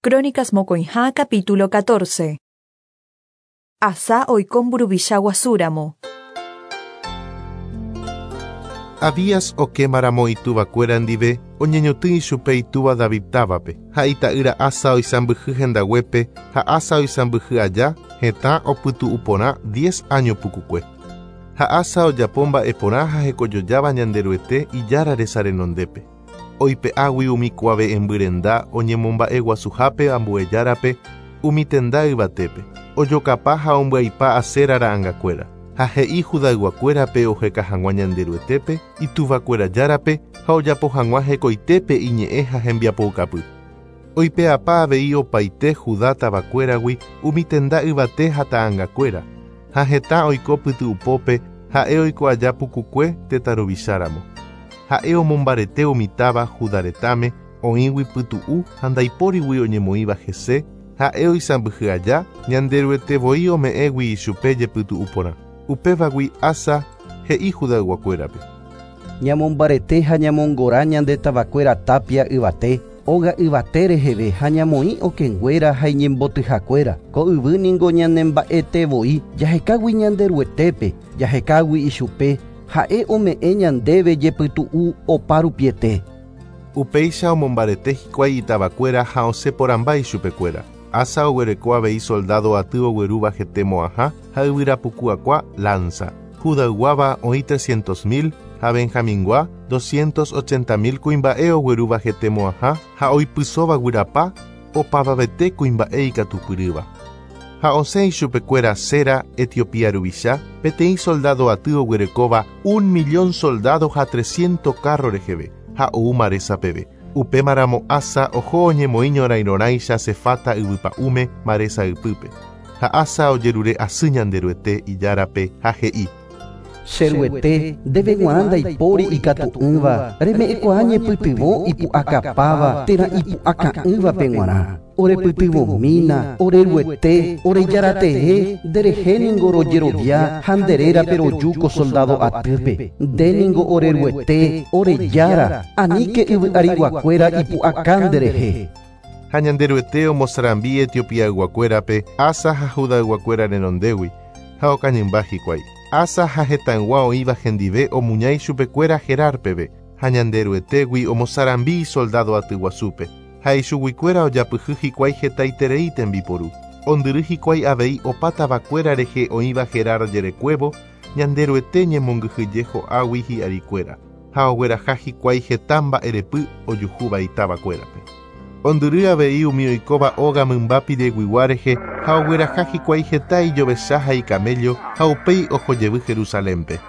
Crónicas mokõiha capítulo 14. Asá oiko mburuvicha guasúramo. Abías okémaramo ituvakuéra ndive, oñeñotỹ ichupe itúva David távape, ha ita'ýra Asa oisãmbyhy hendaguépe, ha Asa oisãmbyhy aja, hetã opytu'u porã diez áño pukukue. Ha Asa ojapo mba'e porã ha hekojojáva Ñanderuete Ijára resa renondépe. Oipe'águi umi kuave'ẽmby renda oñemomba'eguasuhápe ambue járape umi tenda yvatépe, ojokapa ha ombyaipa Asera ra'angakuéra, ha he'i Judayguakuérape oheka hag̃ua Ñanderuetépe, ituvakuéra Járape, ha ojapo hag̃ua hekoitépe iñe'ẽ ha hembiapoukapy. Oipe'apa avei opaite Judá tavakuéragui umi tenda yvate ha ta'angakuéra, ha hetã oiko pyty'upópe ha'e oiko aja pukukue tetã ruvicháramo. Ha'e omombarete umi táva Judá retãme oĩgui pytu'u ha ndaipórigui oñemoĩva hese, ha'e oisãmbyhy aja, Ñanderuete voi ome'ẽgui ichupe jepytu'u porã. Upévagui Asa he'i Judayguakuérape. Ñamombarete ha ñamongora ñande tavakuéra tápia yvate, óga yvate reheve ha ñamoĩ okẽnguéra ha iñembotyhakuéra. Ko yvy ningo ñanemba'ete voi, jahekágui Ñanderuetépe, jahekágui ichupe, ha'e ome'ẽ ñandéve jepytu'u opa rupiete. Upéicha omombarete hikuái itavakuéra ha osẽ porãmba ichupekuéra. Asa oguereko avei soldádo aty oguerúva hete mo'ãha ha yvyra puku akua, lánsa. Judayguáva oĩ trescientos mil ha Benjamingua doscientos ochenta mil kuimba'e oguerúva hete mo'ãha ha oipysóva guyrapa, opavavete kuimba'e ikatupyrýva. Ha osẽ ichupekuéra Zera, Etiopía ruvicha, peteĩ soldádo aty oguerekóva un millón soldádo ha tresiénto kárro reheve, ha ou Maresa peve. Upémaramo Asa oho oñemoĩ ñorairõrãicha Sefata yvypa'ũme Maresa ypýpe. Ha Asa ojerure asy Ñanderuete, Ijárape, ha he'i. Che Ruete, ndéve g̃uarã ndaipóri ikatu'ỹva, reme'ẽkuaa ñepytyvõ ipu'akapáva térã ipu'aka'ỹvape g̃uarã. Orepytyvõmína, ore Ruete, ore Járatee, nderehe ningo rojerovia ha nde rérape roju ko soldádo atýpe. Nde ningo ore Ruete, ore Jára, aníke yvy'ariguakuéra ipu'aka nderehe. Ha Ñanderuete omosarambi Etiopiayguakuérape Asa ha Judayguakuéra renondégui, ha okañymba hikuái. Asa ha hetãygua oĩva hendive omuña ichupekuéra Gerar peve, ha Ñanderuetégui omosarambi isoldádo atyguasúpe, ha ichuguikuéra ojapyhy hikuái hetaiterei tembiporu. Ondyry hikuái avei opa tavakuéra rehe oĩva Gerar jerekuévo, Ñanderuete ñemongyhyje ho'águi hi'arikuéra, ha ogueraha hikuái heta mba'erepy ojuhúva itavakuérape. Ondyry avei umi oikóva óga mymba pireguigua rehe ha ogueraha hikuái heta ijovecha ha ikaméllo ha upéi oho jevy Jerusalénpe.